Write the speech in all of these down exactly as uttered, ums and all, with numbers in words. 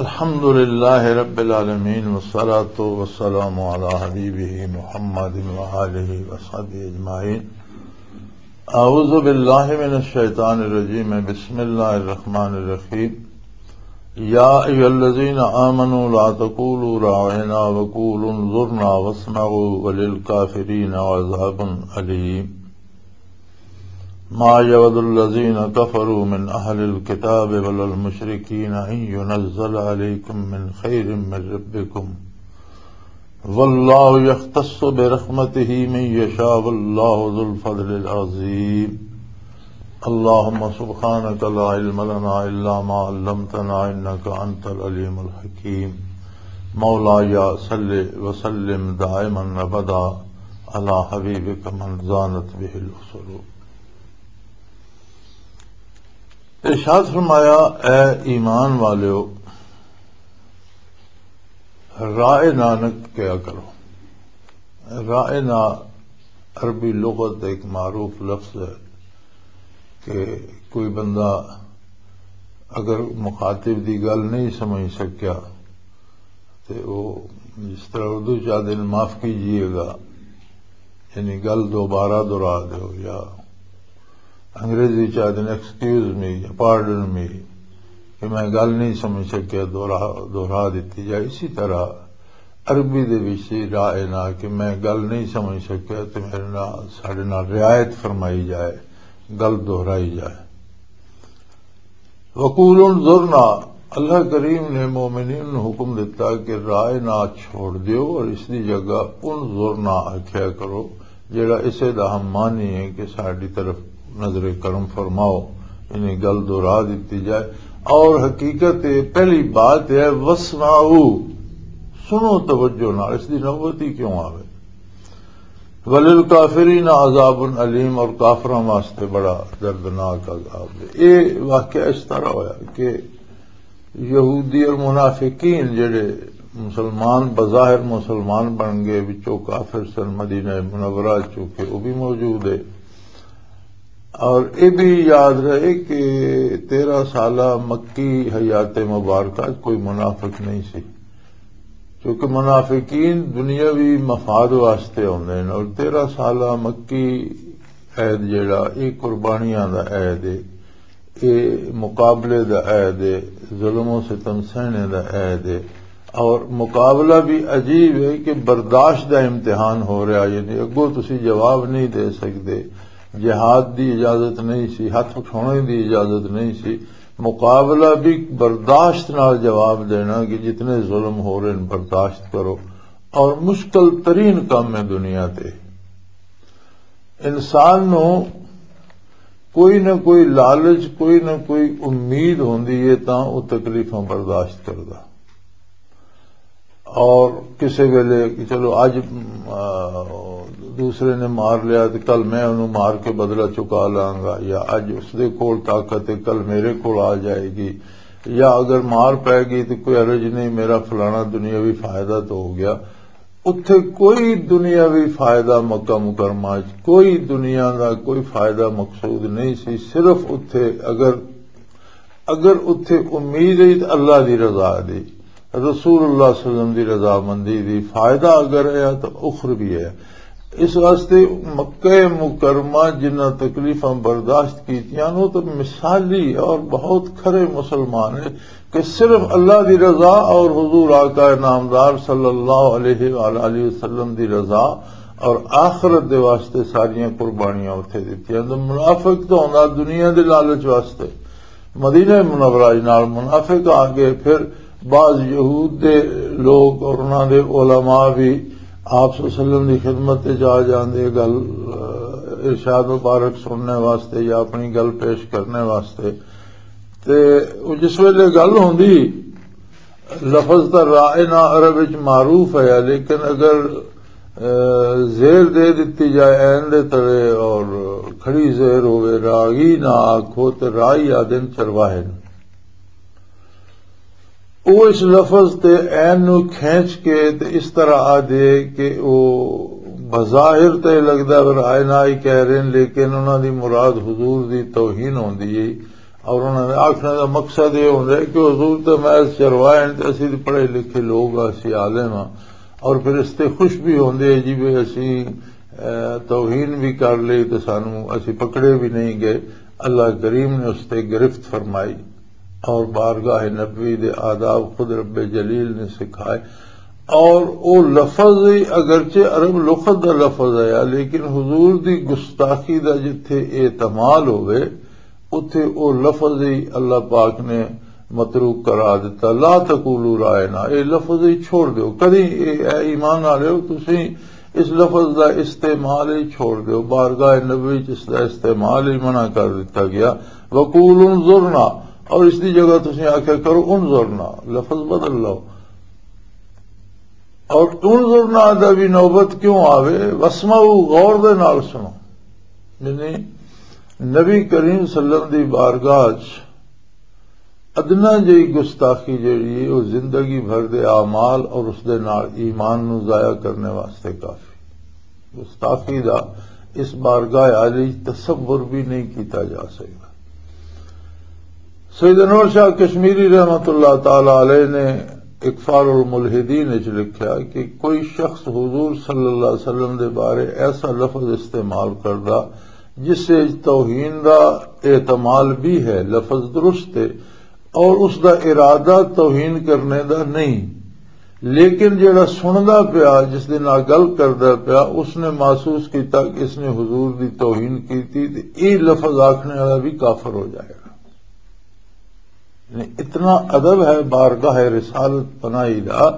الحمد لله رب العالمين، والصلاة والسلام على حبيبه محمد وآله وصحبه أجمعين. أعوذ بالله من الشيطان الرجيم. بسم الله الرحمن الرحيم. يا أيها الذين آمنوا لا تقولوا راعنا وقولوا انظرنا واسمعوا وللكافرين عذاب أليم. ما يود الذين كفروا من أهل الكتاب ولا المشركين أن ينزل عليكم من خير من ربكم، والله يختص برحمته من يشاء، والله ذو الفضل العظيم. اللهم سبحانك لا علم لنا إلا ما علمتنا إنك أنت العليم الحكيم. مولاي صل وسلم دائما أبدا على حبيبك من زانت به الأسر. ارشاد فرمایا، اے ایمان والیو، رائے نہ نہ کیا کرو۔ رائے نہ عربی لغت دا ایک معروف لفظ ہے کہ کوئی بندہ اگر مخاطب دی گل نہیں سمجھ سکیا تے وہ، جس طرح اردو چاہتے ہیں، معاف کیجیے گا، یعنی گل دوبارہ دہرا دو، یا انگریزی چاہتے ہیں ایکسکیوز می یا پارڈن می، کہ میں گل نہیں سمجھ سکیا، دوہرا دہرا دیتی جائے۔ اسی طرح عربی دے وچ رائے نہ کہ میں گل نہیں سمجھ سکیا تے میرے نال، ساڈے نال رعایت فرمائی جائے، گل دہرائی جائے۔ وقول انظرنا، اللہ کریم نے مومنین نوں حکم دیتا کہ رائے نہ چھوڑ دیو اور اس دی جگہ انظرنا آکھیا کرو، جڑا اسے دا ہم معنی ہے کہ ساڈی طرف نظر کرم فرماؤ، یعنی گل دہرا دتی جائے۔ اور حقیقت یہ پہلی بات ہے، واسمعوا، سنو توجہ نال، اس دی نوبت ہی کیوں آوے۔ وللکافرین عذاب علیم، اور کافراں واسطے بڑا دردناک عذاب ہے۔ یہ واقعہ اس طرح ہویا کہ یہودی اور منافقین جڑے مسلمان، بظاہر مسلمان بن گئے، وچوں کافر سن، مدینہ منورہ چونکہ وہ بھی موجود ہے۔ اور یہ بھی یاد رہے کہ تیرہ سالہ مکی حیات مبارکہ کوئی منافق نہیں سی، کیونکہ منافقین دنیاوی مفاد واسطے آتے ہیں، اور تیرہ سالہ مکی عید جڑا، یہ قربانیاں دا عید ہے، یہ مقابلے دا عید ہے، ظلم و ستم سہنے دا عید ہے۔ اور مقابلہ بھی عجیب ہے کہ برداشت دا امتحان ہو رہا، یعنی اگوں تسی جواب نہیں دے سکتے، جہاد دی اجازت نہیں سی، ہاتھ اٹھانے دی اجازت نہیں سی، مقابلہ بھی برداشت نال جواب دینا کہ جتنے ظلم ہو رہے ہیں برداشت کرو۔ اور مشکل ترین کام ہے دنیا تے۔ انسان نو کوئی نہ کوئی لالچ، کوئی نہ کوئی امید ہوندی ہے، تاں او تکلیفاں برداشت کردا۔ اور کسے ویلے کہ چلو اج، آ، دوسرے نے مار لیا تے کل میں انہوں مار کے بدلہ چکا لاں گا، یا اج اس دے کول طاقت ہے، کل میرے کول آ جائے گی، یا اگر مار پے گئی تو کوئی حرج نہیں، میرا فلانا دنیاوی فائدہ تو ہو گیا۔ اتھے کوئی دنیاوی فائدہ مکہ مکرمہ وچ، کوئی دنیا دا کوئی فائدہ مقصود نہیں سی۔ صرف اتھے اگر، اگر اتھے امید ہے تو اللہ دی رضا دی، رسول اللہ صلی اللہ علیہ وسلم دی رضامندی دی، فائدہ اگر ہے تو اخروی ہے۔ اس واسطے مکہ مکرمہ جنہ تکلیفاں برداشت کیتیاں، وہ تو مثالی اور بہت کھرے مسلمان ہیں کہ صرف اللہ دی رضا اور حضور آقا نامدار صلی اللہ علیہ وآلہ وسلم دی رضا اور آخرت دے واسطے ساریاں قربانیاں اتھے دتیاں۔ تو منافق تو ہوندا دنیا دے لالچ واسطے، مدینہ منورہ نال منافق آ گئے، پھر بعض یہود دے لوگ اور انہاں دے علماء بھی آپ صلی اللہ علیہ وسلم دی خدمت تے جا جاندے، گل، آ، ارشاد مبارک سننے واسطے یا اپنی گل پیش کرنے واسطے۔ تے او جس ویلے گل ہوندی، لفظ تاں رائے نہ عرب وچ معروف ہے، لیکن اگر، آ، زیر دے دتی جائے عین دے تلے اور کھڑی زیر ہوئے، راغی نہ آکھو تے رائی آدن چرواہے نوں۔ او اس لفظ تے عین نو کھینچ کے تے اس طرح آ دے کہ او بظاہر تے لگدا ہے رائے نہ ہی کہہ رہے ہیں، لیکن انہاں دی مراد حضور دی توہین ہوندی ہے۔ اور انہاں دے آکھنے دا مقصد یہ ہوندا ہے کہ حضور تے محض چروائے ہیں تے اسی تے پڑھے لکھے لوگ آ، اسی عالم ہاں۔ اور پھر اس تے خوش بھی ہوندے ہیں جی، بھی اسی، اے، توہین بھی کر لئی تے سانو اسی پکڑے بھی نہیں گئے۔ اللہ کریم نے اس تے گرفت فرمائی اور بارگاہ نبوی دے آداب خود رب جلیل نے سکھائے۔ اور او لفظ ہی اگرچہ عرب لغت دا لفظ ہے، لیکن حضور دی گستاخی دا جتھے احتمال ہوئے، اتھے او لفظ ہی اللہ پاک نے متروک قرار دیتا۔ "لا تقولوا راعنا"، اے لفظ ہی چھوڑ دیو۔ کدی اے، اے ایمان والے ہو، تسی اس لفظ دا استعمال ہی چھوڑ دیو۔ بارگاہ نبوی چ اس دا استعمال ہی منع کر دیتا گیا۔ "وقولوا انظرنا"، اور اس دی جگہ تسی آکھیا کرو "انظرنا"، لفظ بدل لو۔ اور انظرنا دا بھی نوبت کیوں آوے؟ "واسمعوا"، غور دے نال سنو۔ یعنی نبی کریم صلی اللہ علیہ وسلم دی بارگاہ چ ادنا جئی گستاخی جڑی ہے، وہ زندگی بھر دے اعمال اور اس دے نال ایمان نو ضائع کرنے واسطے کافی۔ گستاخی دا اس بارگاہ عالی تصور بھی نہیں کیتا جا سکتا۔ سید انور شاہ کشمیری رحمت اللہ تعالی علیہ نے اکفار الملحدین وچ لکھا کہ کوئی شخص حضور صلی اللہ علیہ وسلم دے بارے ایسا لفظ استعمال کردا جس سے توہین دا احتمال بھی ہے، لفظ درست ہے، اور اس دا ارادہ توہین کرنے دا نہیں، لیکن جڑا سندا پیا، جس دے نال گل کردا پیا، اس نے محسوس کیتا کہ اس نے حضور دی توہین کیتی، تے اے لفظ آکھنے والا بھی کافر ہو جائے گا۔ یعنی اتنا ادب ہے بارگاہ رسالت پناہی دا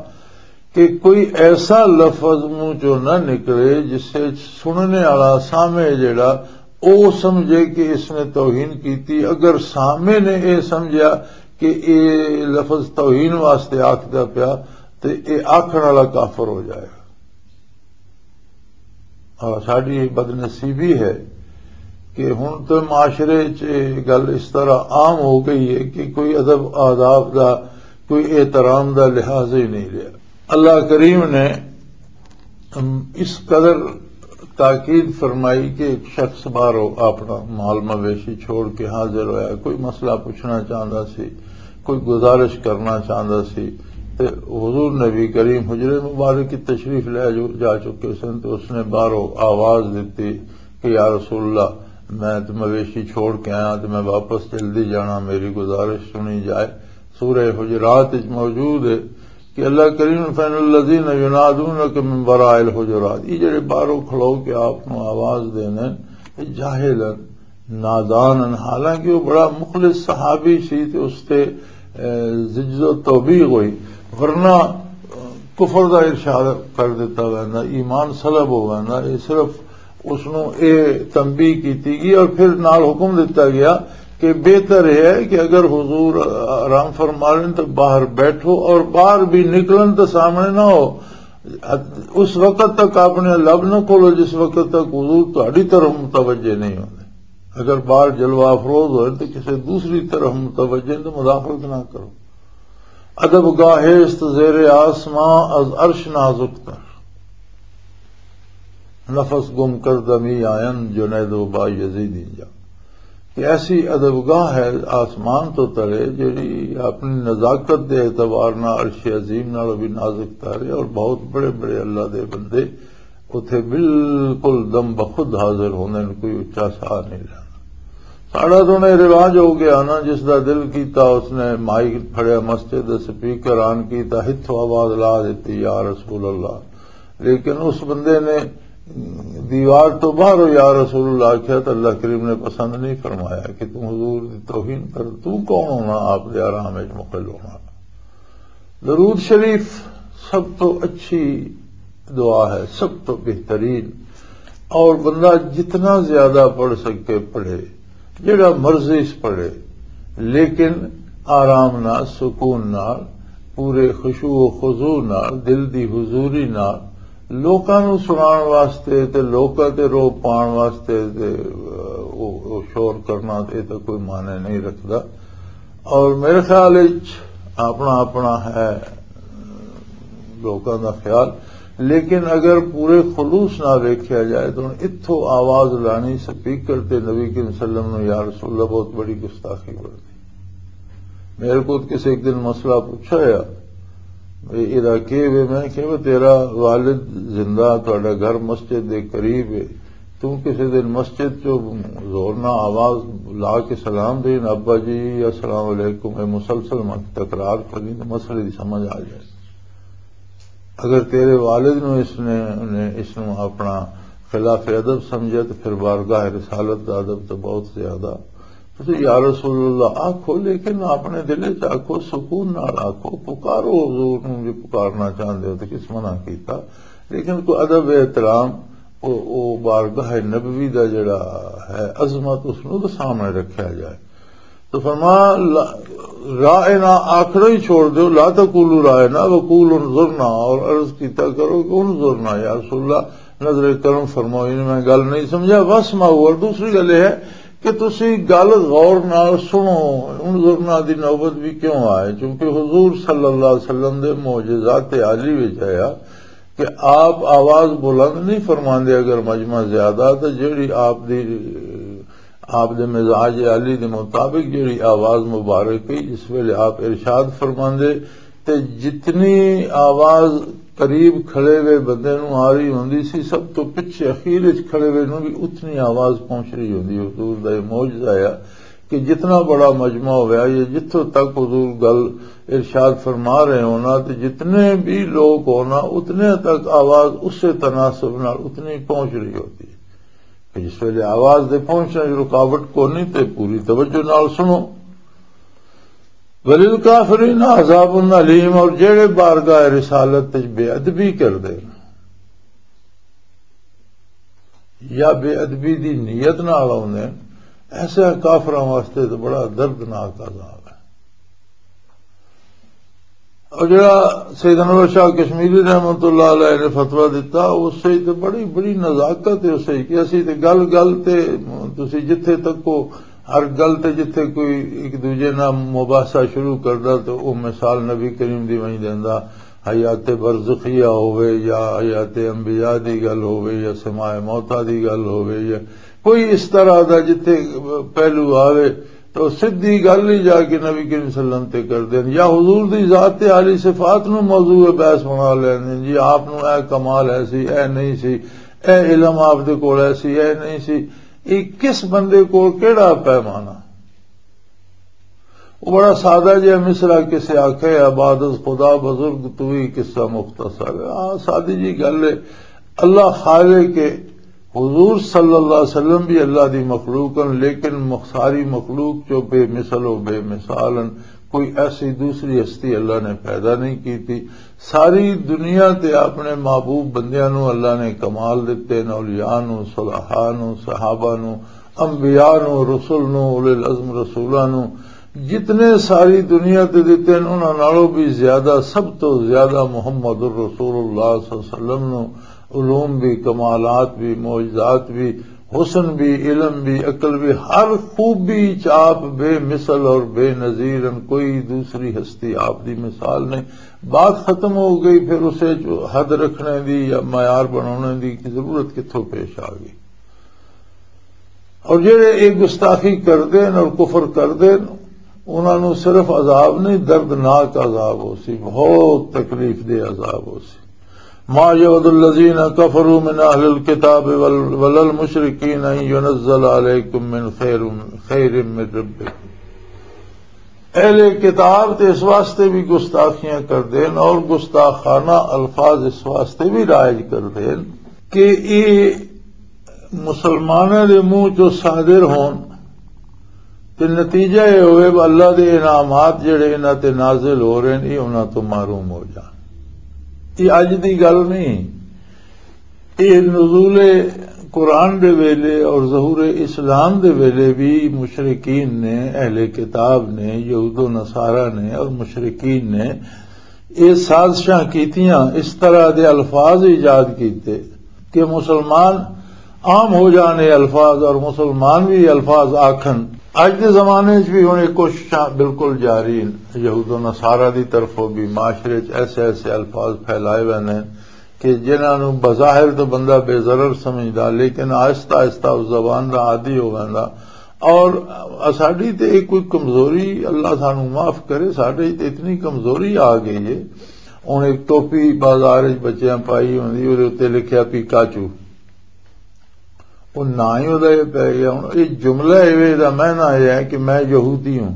کہ کوئی ایسا لفظ منہ چوں نہ نکلے جس سے سننے والا سامع جڑا او سمجھے کہ اس نے توہین کیتی۔ اگر سامع نے اے سمجھیا کہ اے لفظ توہین واسطے آکھدا پیا، تے اے آکھن والا کافر ہو جائے گا۔ اور ساڈی بد نصیبی ہے کہ ہن تے معاشرے چ یہ گل اس طرح عام ہو گئی ہے کہ کوئی ادب آداب دا، کوئی احترام دا لحاظ ہی نہیں لیا۔ اللہ کریم نے، ام، اس قدر تاکید فرمائی کہ ایک شخص باہروں اپنا مال مویشی چھوڑ کے حاضر ہویا، کوئی مسئلہ پوچھنا چاہتا سی، کوئی گزارش کرنا چاہتا سی، تے حضور نبی کریم حجرے مبارک کی تشریف لے جو، جا چکے سن، تو اس نے باہروں آواز دیتی کہ "یا رسول اللہ، میں تے مویشی چھوڑ کے آیا تے میں واپس جلدی جانا، میری گزارش سنی جائے۔" سورہ حجرات وچ موجود ہے کہ اللہ کریم نے، "فإن الذین ینادونک من وراء الحجرات"، یہ جڑے باہروں کھلو کے آپ نو آواز دینے، یہ جاہل ہیں، نادان ہیں، حالانکہ وہ بڑا مخلص صحابی سی تے اس تے، اے، زجز و توبیخ ہوئی، ورنہ، اے، کفر دا ارشاد کر دیتا ویندا، ایمان سلب ہو ویندا۔ یہ صرف اس نو اے تنبیہ کیتی گئی اور پھر نال حکم دتا گیا کہ بہتر یہ ہے کہ اگر حضور آرام فرما لین تو باہر بیٹھو، اور باہر بھی نکلن تو سامنے نہ ہو۔ اس وقت تک اپنے لب نہ کھولو جس وقت تک حضور تہاڈی طرف متوجہ نہیں ہوندے۔ اگر باہر جلوہ افروز ہوئے تو کسی دوسری طرف متوجہ ہیں تو مداخلت نہ کرو۔ ادب گاہ است زیر آسماں از عرش نازک تر، نفس گم کردہ می آیند جنید و با یزید اینجا۔ کہ ایسی ادب گاہ ہے آسمان تو تلے جڑی اپنی نزاکت دے اعتبار نال عرش عظیم نال بھی نازک تر ہے، اور بہت بڑے بڑے اللہ دے بندے اتھے بالکل دم بخود حاضر ہوندے نے، کوئی اچا ساہ نہیں لینا۔ ساڑا تو نے رواج ہو گیا نا، جس دا دل کیتا اس نے مائک پھڑیا، مسجد دا سپیکر آن کیتا، ہتھوں آواز لا دیتی، "یا رسول اللہ۔" لیکن اس بندے نے دیوار تو باہر ہو "یا رسول اللہ" آکھیا تو اللہ کریم نے پسند نہیں فرمایا کہ تم حضور دی توہین کر، تو کون ہونا آپ دے آرام وچ مخل ہونا۔ درود شریف سب تو اچھی دعا ہے، سب تو بہترین، اور بندہ جتنا زیادہ پڑھ سکے پڑھے، جڑا مرضی اس پڑھے، لیکن آرام نال، سکون نال، پورے خشوع و خضوع نال، دل دی حضوری نال، لوکاں نوں سنان واسطے تے لوکاں تے روب پان واسطے تے، او، او شور کرنا تے تاں کوئی معنی نہیں رکھدا۔ اور میرے خیال وچ اپنا اپنا ہے لوکاں دا خیال، لیکن اگر پورے خلوص نہ ویکھیا جائے تو ہن اتھوں آواز لانی سپیکر تے نبی کریم صلی اللہ علیہ وسلم نوں، یا رسول اللہ، بہت بڑی گستاخی بنتی۔ میرے کو کسی ایک دن مسئلہ پوچھا ہے، "اے، اے دا کی وے؟" میں کہ، "وہ تیرا والد زندہ، تہاڈا گھر مسجد دے قریب ہے، تو کسی دن مسجد چوں زور نہ آواز لا کے سلام دین، 'ابا جی، السلام علیکم'، اے مسلسل مت تکرار کریں تو مسئلے دی سمجھ آ جائے۔" اگر تیرے والد نو اس نے، نے اس نو اپنا خلاف ادب سمجھا تو پھر بارگاہ رسالت دا ادب تو بہت زیادہ۔ تو یا رسول اللہ آکھو، لیکن اپنے دل وچ آکھو، سکون نال آکھو، پکارو حضور نو، جے پکارنا چاہندے ہو تو کس منع کیتا؟ لیکن کوئی ادب احترام، او، او بارگاہ نبوی دا جڑا ہے عظمت، اس نو تو سامنے رکھیا جائے۔ تو فرمایا، لا-، رائنا آخر ہی چھوڑ دو، لا تقولوا رائنا وقولوا انظرنا، اور عرض کیتا کرو کہ انظرنا یا رسول اللہ، نظر کرم فرماؤ، یعنی میں گل نہیں سمجھا، واسمعوا، اور دوسری گل یہ ہے کہ تسی گل غور نال سنو، انظرنا دی نوبت بھی کیوں آئے؟ چونکہ حضور صلی اللہ علیہ وسلم دے معجزات عالی وچ آیا کہ آپ آواز بلند نہیں فرماندے، اگر مجمع زیادہ تو جیڑی آپ دی آپ دے مزاج عالی دے مطابق جڑی آواز مبارک ہے، جس ویلے آپ ارشاد فرماندے تے جتنی آواز قریب کھڑے ہوئے بندے نوں آ رہی ہوندی سی، سب تو پچھے اخیر وچ کھڑے ہوئے نوں بھی اتنی آواز پہنچ رہی ہوندی۔ حضور دا یہ معجزہ ہے کہ جتنا بڑا مجمع ہویا یا جتھوں تک حضور گل ارشاد فرما رہے ہونا تے جتنے بھی لوگ ہونا، اتنے تک آواز اسے تناسب نال اتنی پہنچ رہی ہوتی ہے۔ کہ جس ویلے آواز دے پہنچنے وچ رکاوٹ کونی تے پوری توجہ نال سنو۔ وللکافرین عذاب الیم، اور جڑے بارگاہ رسالت وچ بے ادبی کردے نے یا بے ادبی دی نیت نال آوندے نے، ایسے کافراں واسطے تو بڑا دردناک عذاب ہے۔ اور جڑا سید انور شاہ کشمیری رحمت اللہ علیہ نے فتویٰ دیتا، اس سے تو بڑی، بڑی نزاکت ہے، اس سے کہ اسی تے گل گل تے تسی جتھے تک کو، ہر گل تے جتھے کوئی ایک دوجے نال مباحثہ شروع کردا تو وہ مثال نبی کریم دی وہیں دیندا، حیات برزخیہ ہووے یا حیات انبیاء دی گل ہووے یا سماع موتیٰ دی گل ہووے یا کوئی اس طرح دا جتھے پہلو آوے، تو سدھی گل ہی جا کے نبی کریم صلی اللہ علیہ وسلم تے کر دین، یا حضور دی ذات تے عالی صفات نو موضوع بحث بنا لین۔ جی، آپ نو اے کمال ہے سی، اے نہیں سی، اے علم آپ دے کول ہے سی، اے نہیں سی۔ یہ کس بندے کول کیڑا پیمانہ؟ وہ بڑا سادہ جہا مصرع کسے آکھے، "عباد از خدا بزرگ تو ہی قصہ مختصر ہے۔" آ، سادی جی گل ہے۔ اللہ خالق ہے، حضور صلی اللہ علیہ وسلم بھی اللہ دی مخلوق ہن، لیکن مخ-، ساری مخلوق چو بے مثل و بے مثال ہن۔ کوئی ایسی دوسری ہستی اللہ نے پیدا نہیں کی تھی۔ ساری دنیا تے اپنے محبوب بندیاں نو اللہ نے کمال دتے، نو اولیاء نو، صلحاء نو، صحابہ نو، انبیاء نو، رسول نو، اولے العزم رسولاں نو، جتنے ساری دنیا تے دتے ہیں، انہاں نالوں بھی زیادہ، سب تو زیادہ محمد الرسول اللہ صلی اللہ علیہ وسلم نو علوم بھی، کمالات بھی، معجزات بھی، حسن بھی، علم بھی، عقل بھی، ہر خوبی چ آپ بے مثل اور بے نظیر ہیں۔ کوئی دوسری ہستی آپ دی مثال نہیں۔ بات ختم ہو گئی، پھر اسے جو حد رکھنے دی یا معیار بنانے دی ضرورت کتھوں پیش آ گئی؟ اور جڑے یہ گستاخی کردے ہیں اور کفر کردے ہیں، انہاں نوں صرف عذاب نہیں، دردناک عذاب ہو سی، بہت تکلیف دہ عذاب ہو سی۔ ما یود الذین کفروا من اہل الکتاب وال-، ولا المشرکین ان ینزل علیکم من خیر، خیر من ربکم۔ اہل کتاب تے اس واسطے بھی گستاخیاں کردے ہیں اور گستاخانہ الفاظ اس واسطے بھی رائج کردے ہیں کہ یہ مسلمانوں دے منہ چوں صادر ہون تے نتیجہ یہ ہوئے کہ اللہ دے انعامات جڑے انہاں تے نازل ہو رہے ہیں، یہ انہاں تو محروم ہو جان۔ یہ اج دی گل نہیں، یہ نزول قرآن دے ویلے اور ظہور اسلام دے ویلے بھی مشرکین نے، اہل کتاب نے، یہود و نصارہ نے اور مشرکین نے یہ سازشاں کیتیاں، اس طرح دے الفاظ ایجاد کیتے کہ مسلمان عام ہو جان یہ الفاظ اور مسلمان بھی یہ الفاظ آکھن۔ اج دے زمانے وچ بھی ہن یہ کوششاں بالکل جاری ہیں۔ یہود و نصارہ دی طرفوں بھی معاشرے وچ ایسے ایسے الفاظ پھیلائے ویندے ہیں کہ جنہاں نوں بظاہر تو بندہ بے ضرر سمجھدا، لیکن آہستہ آہستہ اس زبان دا عادی ہو ویندا۔ اور ساڈی تے ایک کوئی کمزوری، اللہ سانوں معاف کرے، ساڈے تے اتنی کمزوری آ گئی ہے۔ ہن ایک ٹوپی بازار وچ بچیاں پائی ہوندی، اودے اُتے لکھیا پیکاچو، وہ نہ ہی اُدا یہ پی گیا۔ ہن یہ جملہ ایویں دا معنی یہ ہے کہ میں یہودی ہوں۔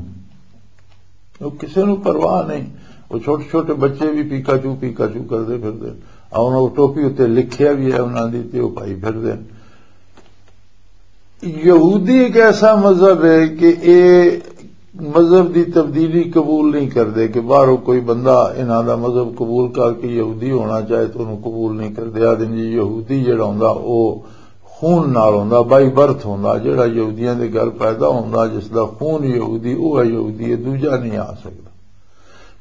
وہ کسے نوں پرواہ نہیں۔ وہ چھوٹے چھوٹے بچے بھی پیکاچو، پیکاچو کردے پھردے۔ اور انہاں ٹوپی اُتے لکھیا بھی ہے انہاں دی، تے وہ پائی پھردے۔ یہودی ایک ایسا مذہب ہے کہ یہ مذہب دی تبدیلی قبول نہیں کردے، کہ باہروں کوئی بندہ انہاں دا مذہب قبول کر کے یہودی ہونا چاہے تو انہوں قبول نہیں کردے۔ آدھے جی یہودی جڑا ہوندا، وہ خون نال ہوندا، بائی برتھ ہوندا، جڑا یہودیاں دے گھر پیدا ہوندا، جس دا خون یہودی، وہ ہے یہودی، یہ دوجا نہیں آ سکدا۔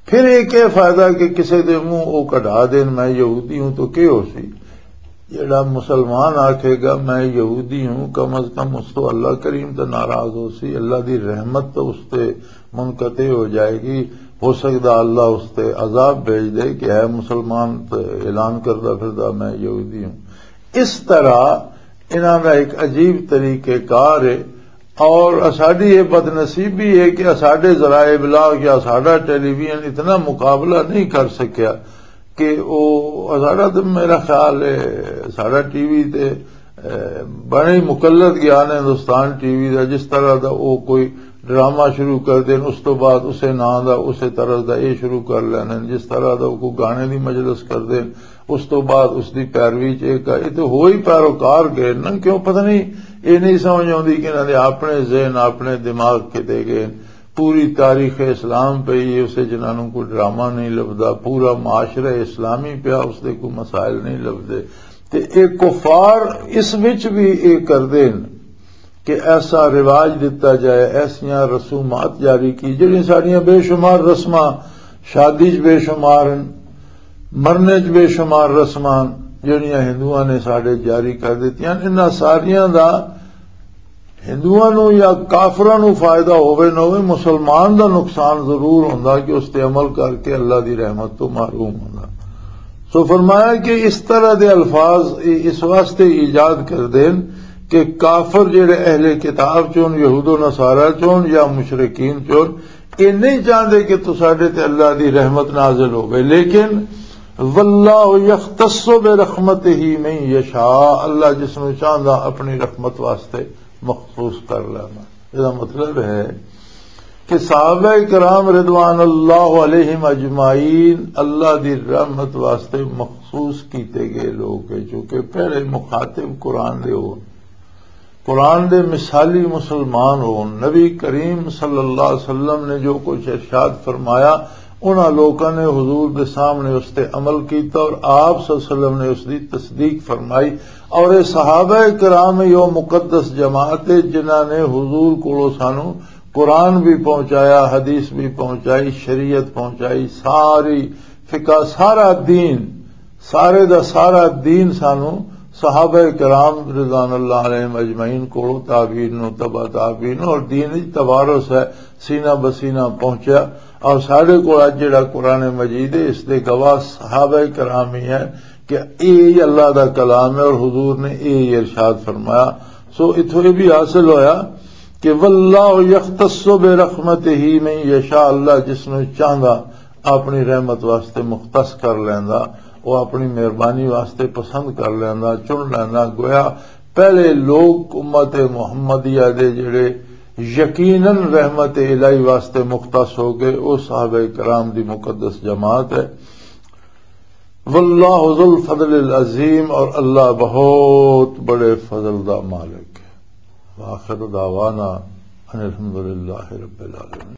پھر یہ کیا فائدہ کہ کسے دے منہ وہ کڈھا دین، میں یہودی ہوں، تو کیا ہو سی؟ جڑا مسلمان آکھے گا میں یہودی ہوں، کم از کم اس تو اللہ کریم تو ناراض ہو سی، اللہ دی رحمت تو اس تے منقطع ہو جائے گی۔ ہو سکدا اللہ اس تے عذاب بھیج دے کہ ہے مسلمان تے اعلان کردا پھردا میں یہودی ہوں۔ اس طرح انہاں دا ایک عجیب طریقہ کار ہے۔ اور ساڈی یہ بدنصیبی ہے کہ ساڈے ذرائع ابلاغ یا ساڈا ٹیلی ویژن اتنا مقابلہ نہیں کر سکیا کہ وہ ساڈا تو میرا خیال ہے ساڈا ٹی وی تے، اے، بڑے ہی مقلد گیان ہے ہندوستان ٹی وی دا، جس طرح دا وہ کوئی ڈرامہ شروع کر دین، اس تو بعد اسے نام دا، اسے طرز دا یہ شروع کر لینے، جس طرح دا وہ کوئی گانے دی مجلس کر دین، اس تو بعد اس دی پیروی چ ایک آئی تے ہوئی پیروکار گئے نا۔ کیوں؟ پتہ نہیں، یہ نہیں سمجھ آتی کہ انہاں دے اپنے ذہن، اپنے دماغ کتے گئے۔ پوری تاریخ اسلام پہ یہ اسے جنہاں نوں کوئی ڈرامہ نہیں لبدا، پورا معاشرہ اسلامی پیا، اس دے کوئی مسائل نہیں لبدے۔ تے اے کفار اس وچ بھی اے کردے نے کہ ایسا رواج دتا جائے، ایسیاں رسومات جاری کی، جڑیاں ساڈیاں بے شمار رسماں، شادی چ بے شمار ہیں، مرنے چ بے شمار رسماں جڑیاں ہندوؤں نے ساڈے جاری کر دتیاں۔ انہاں ساریاں دا ہندوؤں نوں یا کافراں نوں فائدہ ہووے نہ ہووے، مسلمان دا نقصان ضرور ہوندا کہ اس تے عمل کر کے اللہ دی رحمت تو محروم ہوندا۔ سو فرمایا کہ اس طرح دے الفاظ اس واسطے ایجاد کر دین کہ کافر جڑے اہل کتاب چون، یہود و نصارہ چون یا مشرکین چون، یہ نہیں چاہتے کہ تساڈے تے اللہ دی رحمت نازل ہووے، لیکن واللہ یختص برحمتہ من یشاء، اللہ جس نوں چاہندا اپنی رحمت واسطے مخصوص کر لینا۔ یہ مطلب ہے کہ صحابہ کرام رضوان اللہ علیہم اجمعین اللہ دی رحمت واسطے مخصوص کیتے گئے لوگ ہیں، چونکہ پہلے مخاطب قرآن دے ہو، قرآن دے مثالی مسلمان ہو۔ نبی کریم صلی اللہ علیہ وسلم نے جو کچھ ارشاد فرمایا، انہاں لوکاں نے حضور دے سامنے اس تے عمل کیتا اور آپ صلی اللہ علیہ وسلم نے اس دی تصدیق فرمائی۔ اور اے صحابہ کرام یو مقدس جماعت ہے جنہاں نے حضور کولو سانو قرآن بھی پہنچایا، حدیث بھی پہنچائی، شریعت پہنچائی، ساری فقہ، سارا دین، سارے دا سارا دین سانو صحابہ کرام رضوان اللہ علیہم اجمعین کولو، تابعین نو، تبع تابعین نو، اور دین وچ توارث ہے، سینہ بسینہ پہنچیا۔ اور ساڈے کول اج جڑا قرآن مجید ہے، اس دے گواہ صحابہ کرام ہی ہیں کہ اے ہی اللہ دا کلام ہے اور حضور نے اے ہی ارشاد فرمایا۔ سو اتھوں یہ بھی حاصل ہویا کہ واللہ یختص برحمتہ من یشاء، اللہ جس نوں چاہندا اپنی رحمت واسطے مختص کر لیندا، وہ اپنی مہربانی واسطے پسند کر لیندا، چن لیندا۔ گویا پہلے لوگ امت محمدیہ دے جڑے یقیناً رحمت الہی واسطے مختص ہو گئے، وہ صحابہ کرام دی مقدس جماعت ہے۔ واللہ ذو الفضل العظیم، اور اللہ بہت بڑے فضل دا مالک ہے۔ وآخر دعوانا ان الحمدللہ رب العالمین۔